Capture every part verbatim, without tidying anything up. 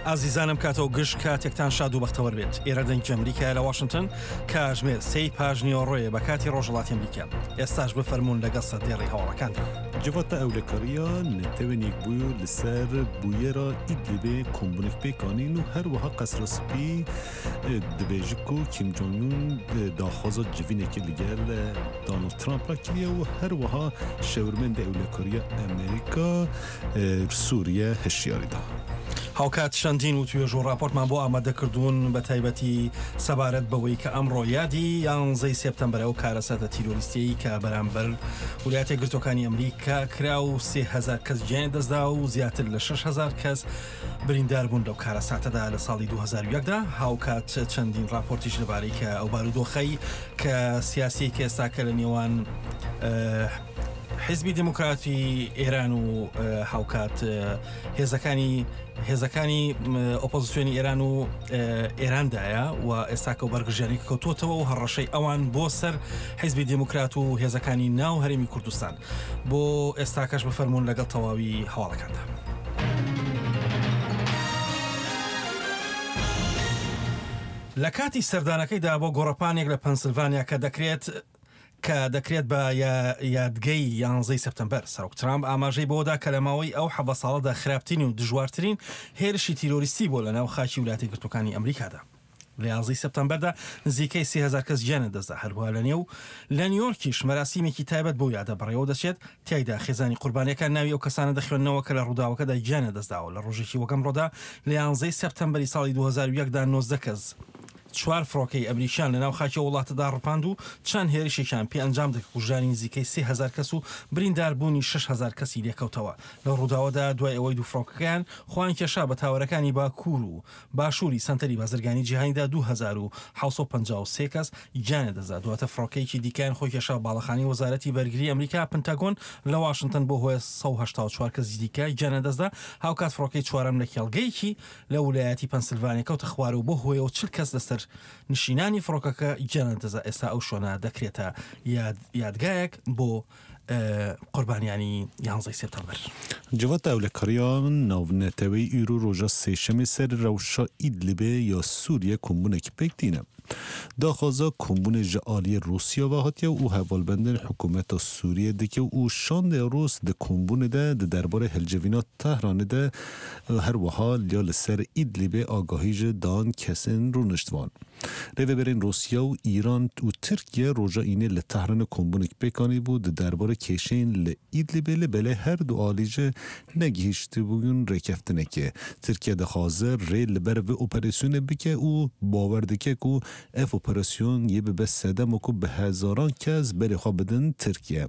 ئازیزانم کاتەوە گشت کاتێکتان شاد و بەختەوەر بێت. ئێرە دەنگی ئەمریکایە لە واشنگتن، کاژمێر سێی پاش نیوەڕۆیە بە کاتی ڕۆژهەڵاتی ئەمریکا. ئێستاش بفەرموون لەگەڵ سەردێڕی هەواڵەکاندا. Civata Ewlekariya Netewên Yekbûyî li ser bûyera Idlibê kombûnek pêk anîn û her wiha Qesra Spî dibêje ku Kim Jong-un daxwaza civînekê li gel Donald Trump re kiriye û her wiha şêwirmendê Ewlekariya Amerîka Sûriye hişyarî da. هاوکات چەندین و توێژ و راپۆرتمان بۆ ئامادەکردوون بە تایبەتی سەبارەت بەوەی کە ئەمڕۆ یادی یانزەی سێپتەمبەر ئەو کارەساتە تیرۆریستیەی کە بەرامبەر ویلایەتە یەکگرتووەکانی ئەمریکا کرا و سێ هەزار کەس گیانی دەستدا و زیاتر لە شەش هەزار کەس بریندار بوون لەو کارەساتەدا لە ساڵی دوو هەزار و یەک دا. هاوکات چەندین راپۆرتیش لەبارەی کە ئەو بارودۆخەی کە سیاسی کە ئێستا کە لە نێوان حیزبی دێموکراتی ئێران و هاوکات هێزەکانی هێزەکانی ئۆپۆزیسیۆنی ئێران و ئێراندایە و ئێستاکە و بەرگژیانی کەوتووەتەوە و هەڕەشەی ئەوان بۆ سەر حیزبی دێموکرات و هێزەکانی ناو هەرێمی کوردستان. بۆ ئێستاکەش بفەرمونون لەگەڵ تەواوی هەواڵەکاندا. لە کاتی سەردانەکەیدا بۆ گۆڕەپانێک لە پەنسلڤانیا کە دەکرێت کە دەکرێت بە یادگەی یانزەی سێپتەمبەر، سەرۆک ترامپ ئاماژەی بەوەدا کە لە ماوەی ئەو حەڤدە ساڵەدا خراپترین و دژوارترین هێرشی تیرۆریستی بۆ لە ناو خاکی ویلایەتە یەکگرتووەکانی ئەمریکادا. لە یانزەی سێپتەمبەردا نزیکەی سێ هەزار کەس گیانیان دەستدا. هەروەها لە نێو لە نیویۆرکیش مەراسیمێکی تایبەت بۆ یادە بەڕێوە دەچێت، تیایدا خێزانی قوربانیەکان ناوی ئەو کەسانە دەخوێننەوە کە لە ڕووداوەکەدا گیانیان دەستداوە. لە ڕۆژێکی وەک ئەمڕۆدا لە یانزەی سێپتەمبەری ساڵی دوو هەزار و یەکدا نۆزدە کەس چوار فڕۆکەی ئەمریکیان لە ناو خاکی وڵاتەدا ڕپاند و چەند هێرشێکیان پێ ئەنجام دەکە کوژرانی نزیکەی سێ هەزار کەس و برینداربوونی شەش هەزار کەسی لێکەوتەوە. لە ڕووداوەدا دوای ئەوەی دوو فڕۆکەکەیان خۆیان کێشا بە تاوەرەکانی باکوور و باشووری سەنتەری بازرگانی جیهانیدا دوو هەزار و حەوت سەد و پەنجا و سێ کەس گیانیان دەستدا. دواتر فڕۆکەیەکی دیکەیان خۆی کێشا باڵەخانەی وەزارەتی بەرگری ئەمریکا پنتاگۆن لە واشنگتن بۆ هۆی سەد و هەشتا و چوار کەسی دیکە گیانیان دەستدا. هاوکات فڕۆکەی چوارەم لە کێڵگەیەکی لە ویلایەتی پەنسلڤانیا کەوتە خوارەوە بۆ هۆیەوە چل کەس لەسەر نشینانی فڕۆکەکە گیانیان دەستدا. ئێستا ئەو شوێنە دەکرێتە یادگایەک بۆ قوربانیانی یانزەی سێپتەمبەر. Civata Ewlekariya Navneteweyî îro roja sêşemê ser rewşa Idlibê ya Sûriye kombûnekî pêk tîne. Daxwaza kombûnê ji aliyê Rûsya ve hatiye û hevalbendên hikûmeta Sûriye dike û şandê Rûs di kombûnê de di derbarê hilcivîna Tehranê de her wiha ya li ser Idlibê agahî ji dan kesên rûniştvan. Rêveberên Rûsya û Îran û Tirkiye roja înê li Tehranê kombûnek pêk anîbû di derbarê kêşeyên li Idlibê li belê her du alî jî negihîştibûn rêkeftinekê. Tirkiye dixwaze rê li ber vê operasyonê bike û bawer dike ku ev operasyon yê bibe sedema ku bi hezaran kes berê xwe bidin Tirkiye.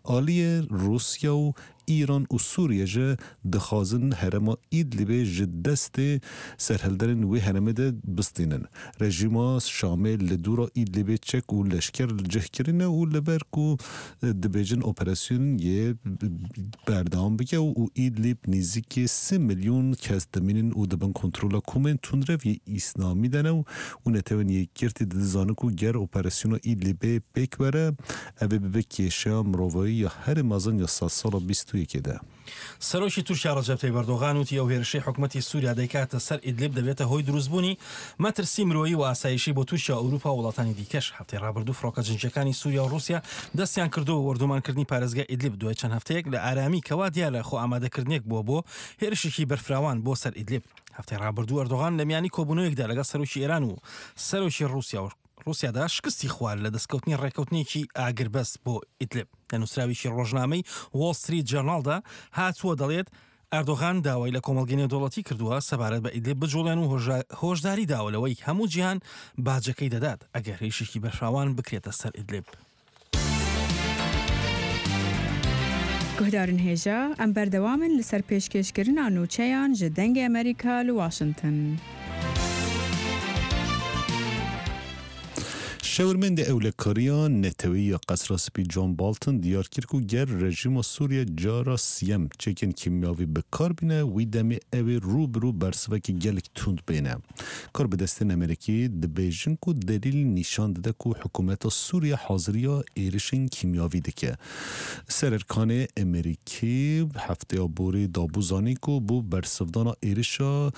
Aliyê Rûsya û Îran û Sûriye jî dixwazin herêma Idlibê ji destê serhilderên wê herêmê de bistînin. Rejîma Şamê li dûra Idlibê çek û leşker li cih kirine û li ber ku dibêjin operasyon yê berdewam bike û Idlib nêzîkî sê milyon kes dimînin û dibin kontrola komên tundrev yê Îslamî de ne û Netewên Yekgirtî dizanin ku ger operasyona Idlibê pêk were ev ê bibe kêşeya mirovayî ya herî mezin ya sedsala bîst و یەکێ de. سەرۆکی تورکیا ڕەجەب تەیب ئەردۆغان وتی ئەو هێرشەی حکومەتی سووریا دەیکاتە سەر ئیدلیب دەبێتە هۆی دروستبوونی مەترسی مرۆیی و ئاسایشی بۆ تورکیا و ئەوروپا و وڵاتانی دیکەش. هەفتەی ڕابردوو فڕۆکە جەنگیەکانی سووریا و ڕووسیا دەستیان کردووە وەردومانکردنی پارێزگای ئیدلیب دوای چەند هەفتەیەک لە ئارامی کەوا دیارە خۆ ئامادەکردنێک بووە بۆ هێرشێکی بەرفراوان بۆ سەر ئیدلیب. هەفتەی ڕابردوو ئەردۆغان لە میانی کۆبوونەوەیەکدا لەگەڵ سەرۆکی ئێران و سەرۆکی ڕووسیا و ڕووسیادا شکستی خوارد لە دەستکەوتنی ڕێککەوتنێکی ئاگربەست بۆ ئیدلیب. لە نووسراوێکی ڕۆژنامەی وۆڵ ستریت جێرناڵدا هاتووە دەڵێت ئەردۆغان داوای لە کۆمەڵگەی نێودەوڵەتی کردووە سەبارەت بە ئیدلیب بجوڵێن و هۆشداری داوە لەوەی هەموو جیهان باجەکەی دەدات ئەگەر هێرشێکی بەرفراوان بکرێتە سەر ئیدلیب. Guhdarên hêja em berdewam in li ser pêşkêşkirina nûçeyan ji Dengê Amerîka li Washington. Şêwirmendê Ewlekariya Neteweyî ya Qesra Spî John Bolton diyar kir ku ger rejîma Sûriye cara siyem çekên kîmyawî bi kar bîne, wî demê ew ê rû bi rû bersivekî gelek tund bêne. Karbidestên Amerîkî dibêjin ku delîl nîşan dide ku hikûmeta Sûriye haziriya êrişên kîmyawî dike. Sererkanê Amerîkî hefteya borî dabû zanîn ku bo bersivdana êrişa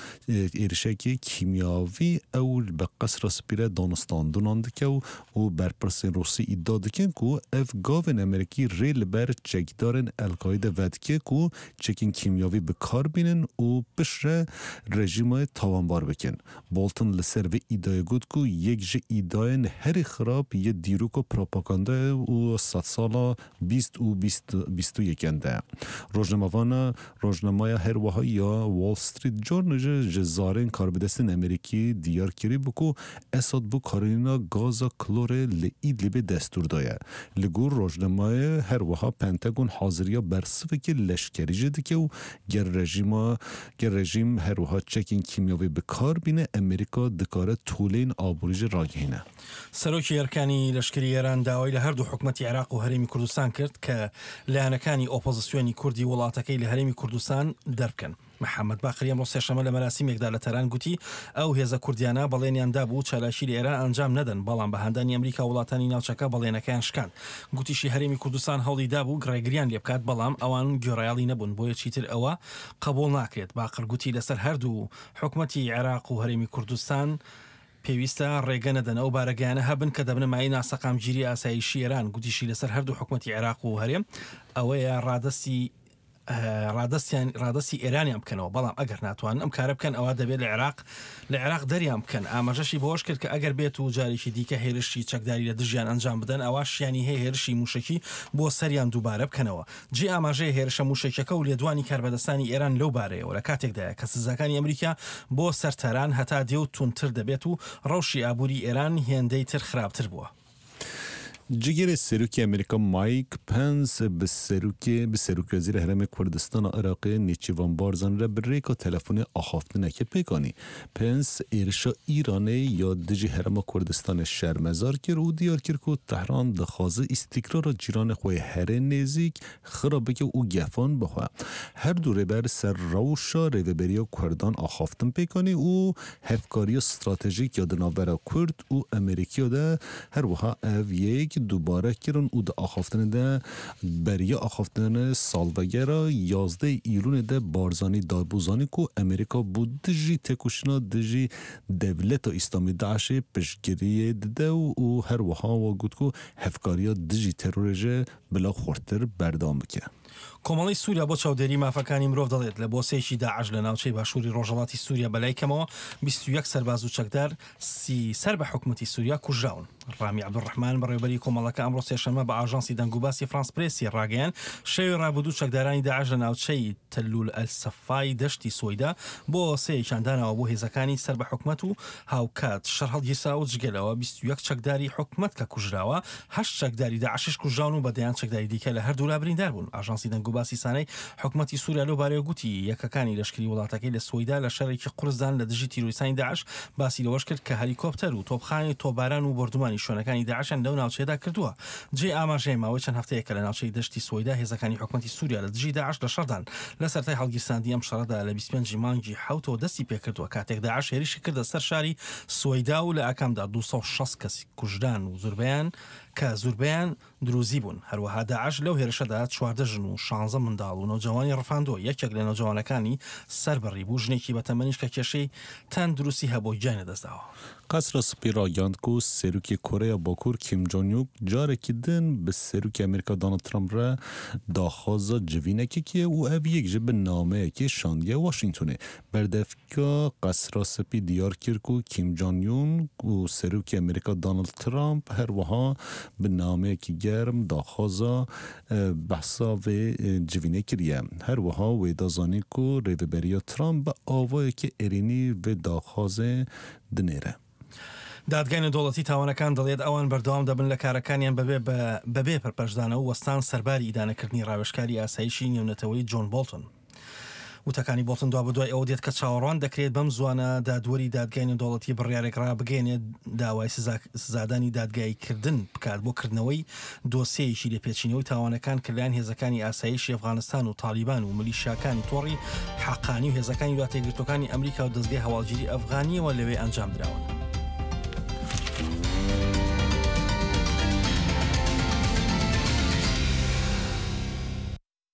êrişekî kîmyawî ew bi Qesra Spî re danûstandinan dike û û berpirsên Rûsî îdia dikin ku ev gavên Amerîkî rê li ber çekdarên El-Qaîde vedike ku çekên kîmyawî bi kar bînin û piştre rejîmayê tawanbar bikin. Bolton li ser vê îdiayê got ku yek ji îdiayên herî xirab yê dîroka propagandayê û sedsala bîst û bîst û yekan de. Rojnamevana rojnameya her wiha ya Wall Street Journal ji ji zarên karbidestên Amerîkî diyar kirî bû ku Esad bo karîna gaza klorê li Idlibê destûr daye. Li gor rojnameyê her wiha Pentagon haziriya bersivekî leşkerî jî dike û ger rejîma ger rejîm her wiha çekên kîmyawî bi kar bîne, Amerîka dikare tolên aborî jî ragihîne. سەرۆکی ئەرکانی لەشکری ئێران داوای لە هەردوو حکومەتی عێراق و هەرێمی کوردستان کرد کە لایەنەکانی ئۆپۆزیسیۆنی کوردی وڵاتەکەی لە هەرێمی کوردستان دەربکەن. محەممەد باقری ئەمڕۆ سێشەممە لە مەراسیمێکدا لە تاران گوتی ئەو هێزە کوردیانە بەڵێنیان دابوو چالاکی لە ئێران ئەنجام نەدەن، بەڵام بە هاندانی ئەمریکا وڵاتانی ناوچەکە بەڵێنەکەیان شکاند. گوتیشی هەرێمی کوردستان هەوڵی دابوو ڕێگریان لێ بکات، بەڵام ئەوان گوێڕایەڵی نەبوون، بۆیە چیتر ئەوە قبوڵ ناکرێت. باقر گوتی لەسەر هەردوو حکومەتی عێراق و هەرێمی کوردستان پێویستە ڕێگە نەدەن ئەو بارەگایانە هەبن کە دەبنە مایەی ناسەقامگیری ئاسایشی ئێران. گوتیشی لەسەر هەردوو حکومەتی عێراق و هەرێم ئەوەیە ڕادەستی ڕادەستیان ڕادەستی ئێرانیان بکەنەوە، بەڵام ئەگەر ناتوانن ئەم کارە بکەن ئەوە دەبێت لە عێراق لە عێراق دەریان بکەن. ئاماژەشی بەوەش کرد کە ئەگەر بێت و جارێکی دیکە هێرشی چەکداری لە دژیان ئەنجام بدەن ئەوە شیانی هەیە هێرشی موشکی بۆ سەریان دووبارە بکەنەوە. جێ ئاماژەیە هێرشە موشەکیەکە و لێدوانی کاربەدەستانی ئێران لەو بارەیەوە لە کاتێکدایە کە سزاکانی ئەمریکا بۆ سەر تاران هەتا دێ و توندتر دەبێت و ڕەوشی ئابووری ئێران هێندەی تر خراپتر بووە. Cigirê Serokê Amerîka Mike Pence bi serokê bi Serokwezîrê Herêmê Kurdistana Iraqê Nêçîrvan Barzanî re bi rêka telefonê axaftinekê pêk anî. Pence êrişa Îranê ya dijî Herêma Kurdistanê şermezar kir û diyar kir ku Tehran dixwaze îstîkrara cîranê xwe herê nêzîk xirab bike û gefan bixwe. Her du rêber ser rewşa rêveberiya Kurdan axaftin pêk anî û hevkariya stratejîk ya di navbera Kurd û Amerîkiya de her wiha ev yek دووبارە kirin û di axaftinê de beriya axaftinê salvegera yazdeh Îlûnê de Barzanî dabû zanîn ku Amerîka bû dijî têkoşîna dijî dewleta Îslamî DAIŞê piştgiriyê dide û her wiha wa got ku hevkariya dijî terorê jî bila xurttir berdewam bike. کۆمەڵی سووریا بۆ چاودێری مافەکانی مرۆڤ دەڵێت لە بۆسەیەکی داعش لە ناوچەی باشووری ڕۆژهەڵاتی سووریا بەلای کەمەوە بیست و یەک سەرباز و چەکدار سی سەر بە حکومەتی سووریا کوژراون. ڕامی عەبدولڕەحمان بەڕێوەبەری کۆمەڵەکە ئەمڕۆ سێشەممە بە ئاژانسی دەنگوباسی فرانس پرێسی ڕاگەیاند شەوی ڕابردوو چەکدارانی داعش لە ناوچەی تەلول ئەلسەفای دەشتی سوەیدا بۆ سەیەکیان داناوە بۆ هێزەکانی سەر بە حکومەت و هاوکات شەڕ هەڵگیرسا و جگەلەوە بیست و یەک چەکداری حکومەت کە کوژراوە، هەشت چەکداری داعشش کوژراون و بە دەیان چەکداری دیکە لە هەردوولا بریندار بوون. ئاژانسی دەنگوباسی سانەی حکومەتی سووریا لەو بارەیەوە گوتی یەکەکانی لەشکری وڵاتەکەی لە سوەیدا لە شەڕێکی قورسدان لە دژی تیرۆریستانی داعش. باسی لەوەش کرد کە هەلیکۆپتەر و تۆپخانەی تۆپباران و بۆردومانی شوێنەکانی داعشیان لەو ناوچەیەدا کردووە. جێ ئاماژەیە ماوەی چەند هەفتەیەکە لە ناوچەی دەشتی سوەیدا هێزەکانی حکومەتی سووریا لە دژی داعش لە شەڕدان. لە سەرەتای هەڵگیرساندنی ئەم شەڕەدا لە بیست و پێنج مانگی حەوتەوە دەستی پێکردووە کاتێک داعش هێرشی کردە سەر شاری سوەیدا و لە ئاکامدا دوو سەد و شەست کەس کوژران و زوربەیان کە زوربەیان دروزی بوون. هەروەها داعش لەو هێرشەدا چواردە ژن و شانزە منداڵ و نەوجەوانی ڕفاندووە. یەکێک لە نەوجەوانەکانی سەربڕی بوو ژنێکی بەتەمەنیش کە کێشەی تەندروستی هەبوو گیانی لەدەستداوە. قەسرا سپی ڕاگەیاند ku Serokê Koreya Bakur Kim Jong-un carekî din bi Serokê Amerîka Donald Trump re daxwaza civînekê kiriye û ev yek ji bi nameyekê şandiye Washingtonê. Berdevka Qesra Spî diyar kir ku Kim Jong-un û Serokê Amerîka Donald Trump her wiha bi nameyekî germ daxwaza behsa vê civînê kiriye. Her wiha wê da zanîn ku rêveberiya Trump bi awayekî erênî vê daxwazê dinêre. دادگای نێودەوڵەتی تاوانەکان دەڵێت ئەوان بەردەوام دەبن لە کارەکانیان بەبێ پەرپەرچدانەوە وەستان سەرباری ئیدانەکردنی ڕاوێژکاری ئاسایشی نێونەتەوەی جۆن بۆڵتن. وتەکانی بۆڵتن دوابەدوای ئەوە دێت کە چاوەڕوان دەکرێت بەم زوانە دادوەری دادگای نێودەوڵەتی بڕیارێک ڕابگەیەنێت داوای سزادانی دادگاییکردن بکات بۆ کردنەوەی دۆسیەیەکی لێپێچینەوەی تاوانەکان کە لەلایەن هێزەکانی ئاسایشی ئەفغانستان و تاڵیبان و ملیشیاکانی تۆڕی حەقانی و هێزەکانی وڵاتە یەکگرتووەکانی ئەمریکا و دەزگای هەواڵگیری ئەفغانیەوە لەوێ ئەنجامدراون.